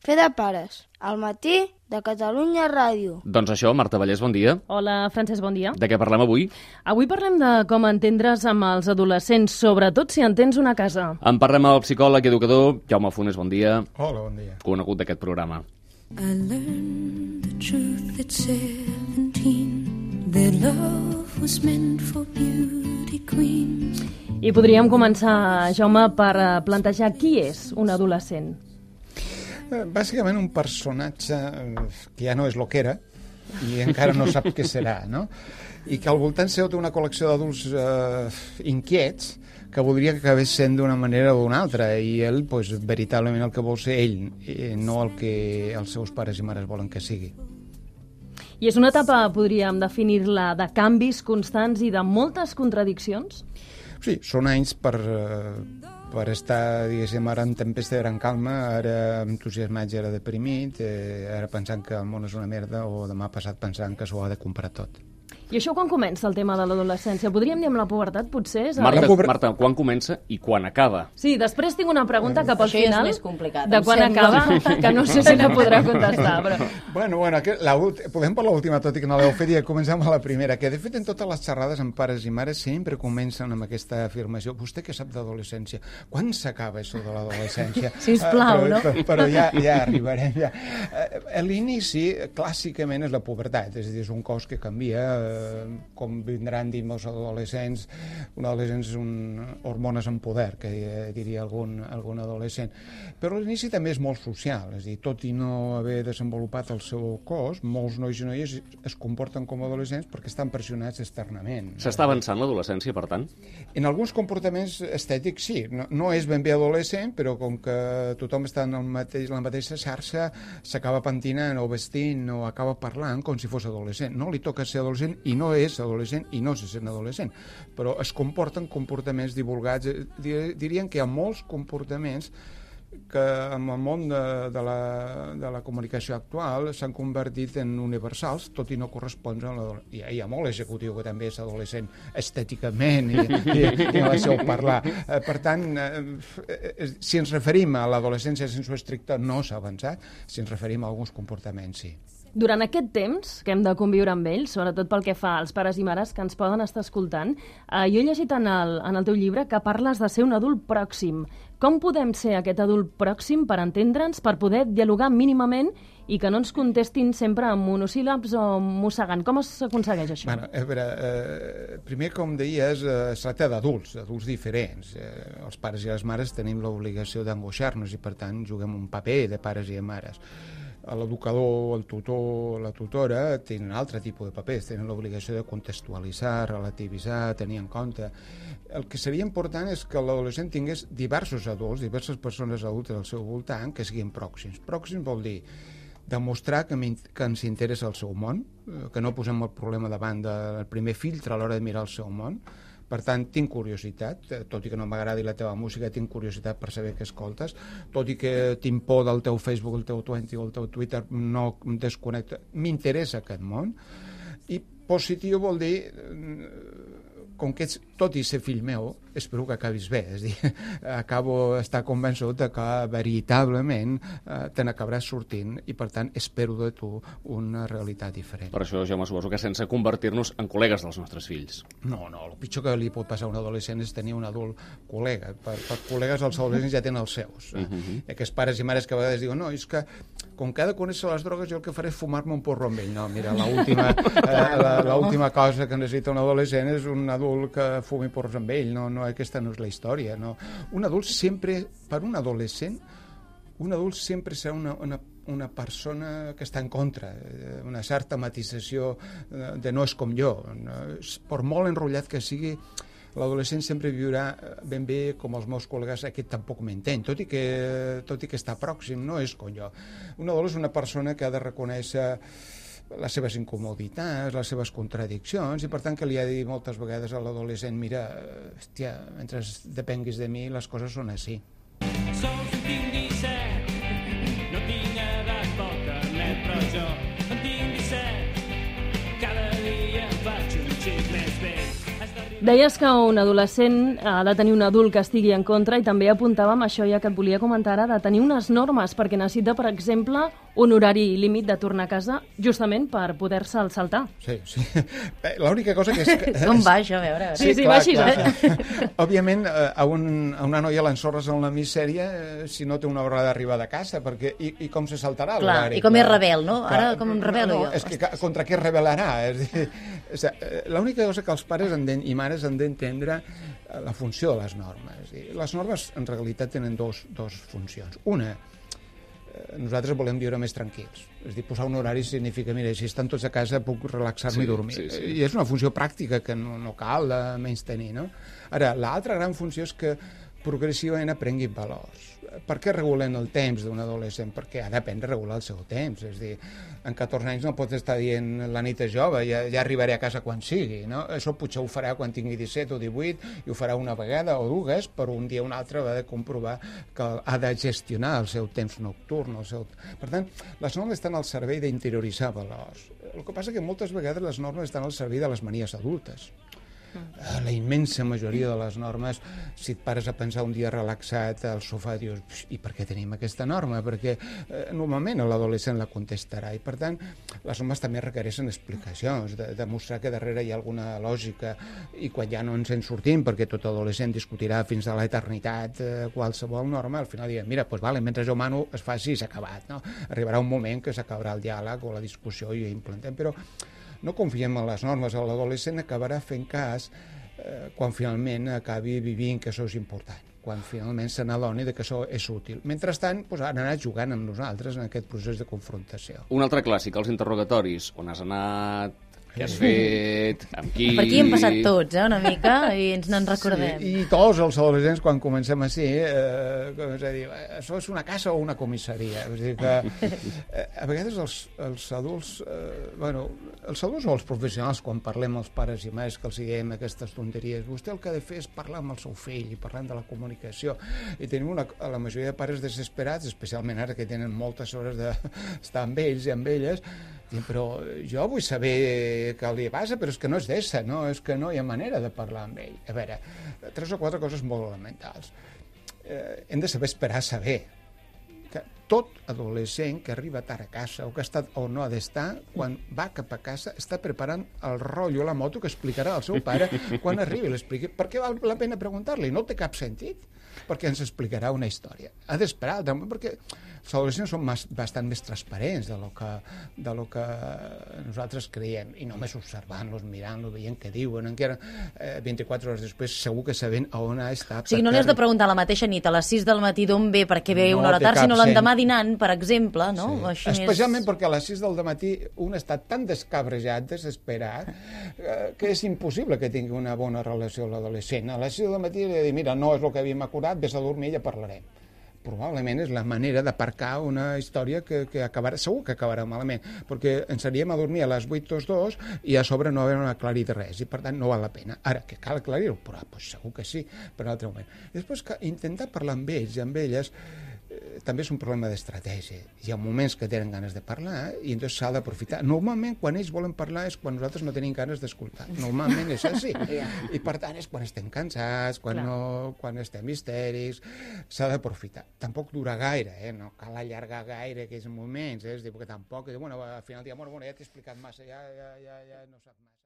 Fer de pares, al matí de Catalunya Ràdio. Doncs això, Marta Vallès, bon dia. Hola, Francesc, bon dia. De què parlem avui? Avui parlem de com entendre's amb els adolescents, sobretot si en tens una casa. En parlem amb el psicòleg i educador Jaume Funes, bon dia. Hola, bon dia. Conegut d'aquest programa. I learned the truth at 17, that love was meant for beauty queens. I podríem començar, Jaume, per plantejar qui és un adolescent. Bàsicament un personatge que ja no és lo que era i encara no sap què serà, no? I que al voltant seu té una col·lecció d'adults inquiets que voldria que acabés sent d'una manera o d'una altra, i ell, pues, veritablement el que vol ser ell, no el que els seus pares i mares volen que sigui. I és una etapa, podríem definir-la, de canvis constants i de moltes contradiccions? Sí, són anys per estar, diguéssim, ara en tempesta era en calma, ara entusiasmat i ara deprimit, ara pensant que el món és una merda, o demà passat pensant que s'ho ha de comprar tot. I això quan comença el tema de l'adolescència? Podríem dir amb la pubertat, potser? Marta, quan comença i quan acaba? Sí, després tinc una pregunta cap al final. Això és més complicat. De quan acaba, que no sé si la podrà contestar, però... Bueno, podem per l'última, tot i que no l'heu fet, i comencem a la primera, que de fet en totes les xerrades amb pares i mares sempre comencen amb aquesta afirmació: vostè què sap d'adolescència? Quan s'acaba això de l'adolescència? Sisplau, no? Però ja arribarem. Ja. L'inici, clàssicament, és la pubertat, és a dir, és un cos que canvia, com vindran dir els adolescents. Un adolescent és hormones en poder, que diria algun adolescent. Però l'inici també és molt social, és a dir, tot i no haver desenvolupat el seu cos, molts nois i noies es comporten com a adolescents perquè estan pressionats externament. S'està avançant l'adolescència, per tant? En alguns comportaments estètics sí, no és ben bé adolescent, però com que tothom està en la mateixa xarxa, s'acaba pentinant o vestint o acaba parlant com si fos adolescent. No li toca ser adolescent i no és adolescent i no se sent adolescent, però es comporten comportaments divulgats. Dirien que hi ha molts comportaments que en el món de la comunicació actual s'han convertit en universals, tot i no correspondre a l'adolescència. Hi ha molt executiu que també és adolescent estèticament i en el seu parlar. Per tant, si ens referim a l'adolescència sense estricta, no s'ha avançat. Si ens referim a alguns comportaments, sí. Durant aquest temps que hem de conviure amb ells, sobretot pel que fa als pares i mares que ens poden estar escoltant, jo he llegit en el teu llibre que parles de ser un adult pròxim. Com podem ser aquest adult pròxim per entendre'ns, per poder dialogar mínimament i que no ens contestin sempre amb monosíl·labs o mossegant? Com s'aconsegueix això? Bueno, a veure, primer, com deies, es tracta d'adults diferents. Els pares i les mares tenim l'obligació d'angoixar-nos i, per tant, juguem un paper de pares i de mares. L'educador, el tutor, la tutora tenen un altre tipus de papers, tenen l'obligació de contextualitzar, relativitzar, tenir en compte. El que seria important és que l'adolescent tingués diversos adults, diverses persones adultes al seu voltant que siguin pròxims. Pròxims vol dir demostrar que ens interessa el seu món, que no posem el problema davant del primer filtre a l'hora de mirar el seu món. Per tant, tinc curiositat, tot i que no m'agradi la teva música, tinc curiositat per saber què escoltes, tot i que tinc por del teu Facebook, el teu Twenty o el teu Twitter, no em desconnecto. M'interessa aquest món. I positiu vol dir, com que ets, tot i ser fill meu, espero que acabis bé, és a dir, acabo d'estar convençut que veritablement te n'acabaràs sortint i, per tant, espero de tu una realitat diferent. Per això, Jaume, suposo que sense convertir-nos en col·legues dels nostres fills. No, el pitjor que li pot passar a un adolescent és tenir un adult col·lega. Per col·legues els adolescents ja tenen els seus. Aquests pares i mares que a vegades diuen no, és que com que ha de conèixer les drogues jo el que faré és fumar-me un porro amb ell. No, mira, l'última cosa que necessita un adolescent és un adult que fumi porros amb ell. No, aquesta no és la història. No. Un adult sempre, per un adolescent, un adult sempre serà una persona que està en contra, una certa matització de no és com jo. Per molt enrotllat que sigui, l'adolescent sempre viurà ben bé com els meus col·legues, aquest tampoc m'entén, tot i que està pròxim, no és com jo. Un adult és una persona que ha de reconèixer les seves incomoditats, les seves contradiccions, i per tant que li ha de dir moltes vegades a l'adolescent: mira, hòstia, mentre depenguis de mi les coses són així. Sols en tinc 17, no tinc edat pel carnet, però jo en tinc 17, cada dia em faig un xic més vell. Deies que un adolescent ha de tenir un adult que estigui en contra i també apuntàvem això ja que et volia comentar ara, de tenir unes normes perquè necessita, per exemple, un horari límit de tornar a casa justament per poder-se'l saltar. Sí. L'única cosa que és... Com va això, a veure? Sí, va així. Òbviament, a una noia l'ensorres en la misèria si no té una hora d'arribar de casa, perquè i com se saltarà l'horari? I com és rebel, no? Ara com em rebel·lo jo. És que contra què es rebel·larà? L'única cosa que els pares i mares han d'entendre la funció de les normes. Les normes, en realitat, tenen dos funcions. Una, nosaltres volem viure més tranquils. És a dir, posar un horari significa, mira, si estan tots a casa puc relaxar-me i dormir. Sí. I és una funció pràctica que no cal menys tenir, no? Ara, l'altra gran funció és que progressivament aprenguin valors. Per què regulen el temps d'un adolescent? Perquè ha d'aprendre a regular el seu temps. És a dir, en 14 anys no pots estar dient la nit és jove, ja arribaré a casa quan sigui, no? Això potser ho farà quan tingui 17 o 18 i ho farà una vegada o dues, però un dia o un altre va de comprovar que ha de gestionar el seu temps nocturn. Per tant, les normes estan al servei d'interioritzar valors. El que passa és que moltes vegades les normes estan al servei de les manies adultes. La immensa majoria de les normes, si et pares a pensar un dia relaxat al sofà, dius, i per què tenim aquesta norma? Perquè normalment l'adolescent la contestarà i per tant les normes també requereixen explicacions, demostrar que darrere hi ha alguna lògica i quan ja no ens en sortim, perquè tot adolescent discutirà fins a l'eternitat qualsevol norma, al final diguem, mira, doncs vale, mentre jo mano es faci i s'ha acabat, no? Arribarà un moment que s'acabarà el diàleg o la discussió i ho implantem, però no confiem en les normes. L'adolescent acabarà fent cas quan finalment acabi vivint que això és important, quan finalment se n'adoni que això és útil. Mentrestant, han anat jugant amb nosaltres en aquest procés de confrontació. Un altre clàssic, els interrogatoris. On has anat? Què has fet? Amb qui? Per aquí hem passat tots, una mica, i ens n'en recordem. Sí, i tots els adolescents, quan comencem així, això és una casa o una comissaria. És a dir que a vegades els adults, els adults o els professionals, quan parlem als pares i mares que els diem aquestes tonteries, vostè el que ha de fer és parlar amb el seu fill i parlant de la comunicació. I tenim la majoria de pares desesperats, especialment ara que tenen moltes hores d'estar amb ells i amb elles, però jo vull saber què li passa, però és que no és d'essa, no? És que no hi ha manera de parlar amb ell. A veure, 3 o 4 coses molt elementals. Hem de saber esperar a saber que tot adolescent que arriba tard a casa o que ha estat o no ha d'estar, quan va cap a casa està preparant el rotllo, la moto que explicarà al seu pare quan arribi. L'expliqui. Per què val la pena preguntar-li? No té cap sentit, perquè ens explicarà una història. Ha d'esperar, perquè els adolescents són bastant més transparents de lo que nosaltres creiem, i només observant-los, mirant-los, veient què diuen, encara 24 hores després segur que sabent on ha estat. O sigui, no li has de preguntar la mateixa nit a les 6 del matí d'on ve perquè ve una hora tard, sinó l'endemà dinant, per exemple, no? Sí. Així Especialment perquè a les 6 del matí un està tan descabrejat, desesperat, que és impossible que tingui una bona relació amb l'adolescent. A les 6 del matí li ha de dir, mira, no és el que havíem acordat, vés a dormir i ja parlarem. Probablement és la manera d'aparcar una història que acabarà, segur que acabarà malament, perquè ens aniríem a dormir a les 8 tots dos i a sobre no haver aclarit res, i per tant no val la pena. Ara, que cal aclarir-ho, però segur que sí, per un altre moment. I després, intentar parlar amb ells i amb elles també és un problema d'estratègia. Hi ha moments que tenen ganes de parlar i llavors s'ha d'aprofitar. Normalment, quan ells volen parlar és quan nosaltres no tenim ganes d'escoltar. Normalment és així. I per tant és quan estem cansats, quan estem histèrics, s'ha d'aprofitar. Tampoc dura gaire, no cal allargar gaire aquells moments, és dir, perquè tampoc, al final diem, bueno, ja t'he explicat massa, ja no sap més.